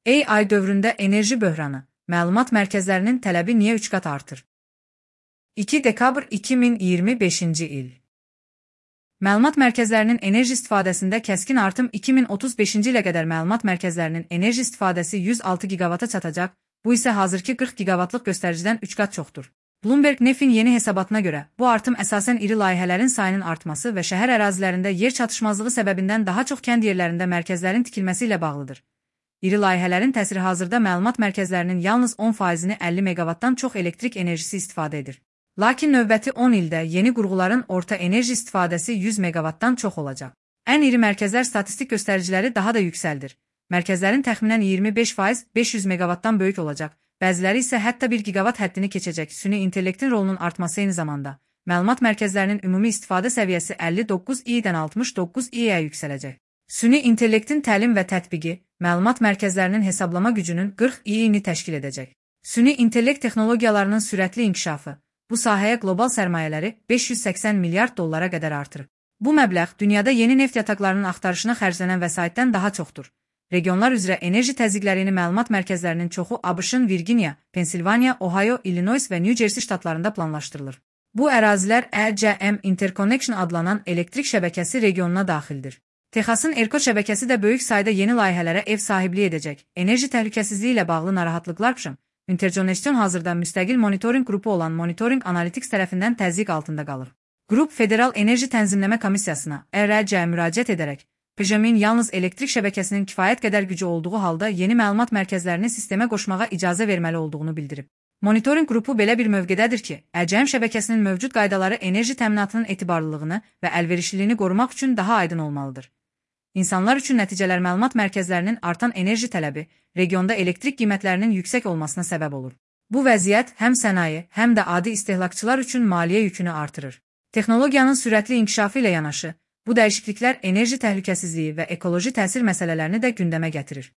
AI dövründə enerji böhranı, məlumat mərkəzlərinin tələbi niyə 3 qat artır? 2 dekabr 2025-ci il. Məlumat mərkəzlərinin enerji istifadəsində kəskin artım 2035-ci ilə qədər məlumat mərkəzlərinin enerji istifadəsi 106 gigavata çatacaq, bu isə hazırki 40 gigavatlıq göstəricidən 3 qat çoxdur. Bloomberg Nefin yeni hesabatına görə, bu artım əsasən iri layihələrin sayının artması və şəhər ərazilərində yer çatışmazlığı səbəbindən daha çox kənd yerlərində mərkəzlərin tikilməsi ilə bağlıdır. İri layihələrin təsiri hazırda məlumat mərkəzlərinin yalnız 10%-ni 50 megavatdan çox elektrik enerjisi istifadə edir. Lakin növbəti 10 ildə yeni qurğuların orta enerji istifadəsi 100 megavatdan çox olacaq. Ən iri mərkəzlər statistik göstəriciləri daha da yüksəldir. Mərkəzlərin təxminən 25% 500 megavatdan böyük olacaq, bəziləri isə hətta 1 gigavat həddini keçəcək. Süni intellektin rolunun artması eyni zamanda məlumat mərkəzlərinin ümumi istifadə səviyyəsi 59 i-dən 69 i-yə yüksələcək. Süni intellektin təlim və tətbiqi məlumat mərkəzlərinin hesablama gücünün 40 i-ni təşkil edəcək. Süni intellekt texnologiyalarının sürətli inkişafı bu sahəyə qlobal sərmayələri 580 milyard dollara qədər artırıb. Bu məbləğ dünyada yeni neft yataqlarının axtarışına xərclənən vəsaitdən daha çoxdur. Regionlar üzrə enerji təzyiqlərini məlumat mərkəzlərinin çoxu ABŞ-ın Virginia, Pensilvaniya, Ohio, Illinois və New Jersey ştatlarında planlaşdırılır. Bu ərazilər ECM Interconnection adlanan elektrik şəbəkəsi regionuna daxildir. Texasın ERCOT şəbəkəsi də böyük sayda yeni layihələrə ev sahibliyi edəcək. Enerji təhlükəsizliyi ilə bağlı narahatlıqlar üçün Interconnection hazırda müstəqil monitorinq qrupu olan Monitoring Analytics tərəfindən təzyiq altında qalır. Qrup Federal Enerji Tənzimləmə Komissiyasına (ERC) müraciət edərək PJM-in yalnız elektrik şəbəkəsinin kifayət qədər gücü olduğu halda yeni məlumat mərkəzlərini sistemə qoşmağa icazə verməli olduğunu bildirib. Monitorinq qrupu belə bir mövqedədir ki, ECM şəbəkəsinin mövcud qaydaları enerji təminatının etibarlılığını və əlverişliliyini qorumaq üçün daha aydın olmalıdır. İnsanlar üçün nəticələr məlumat mərkəzlərinin artan enerji tələbi regionda elektrik qiymətlərinin yüksək olmasına səbəb olur. Bu vəziyyət həm sənaye, həm də adi istehlakçılar üçün maliyyə yükünü artırır. Texnologiyanın sürətli inkişafı ilə yanaşı, bu dəyişikliklər enerji təhlükəsizliyi və ekoloji təsir məsələlərini də gündəmə gətirir.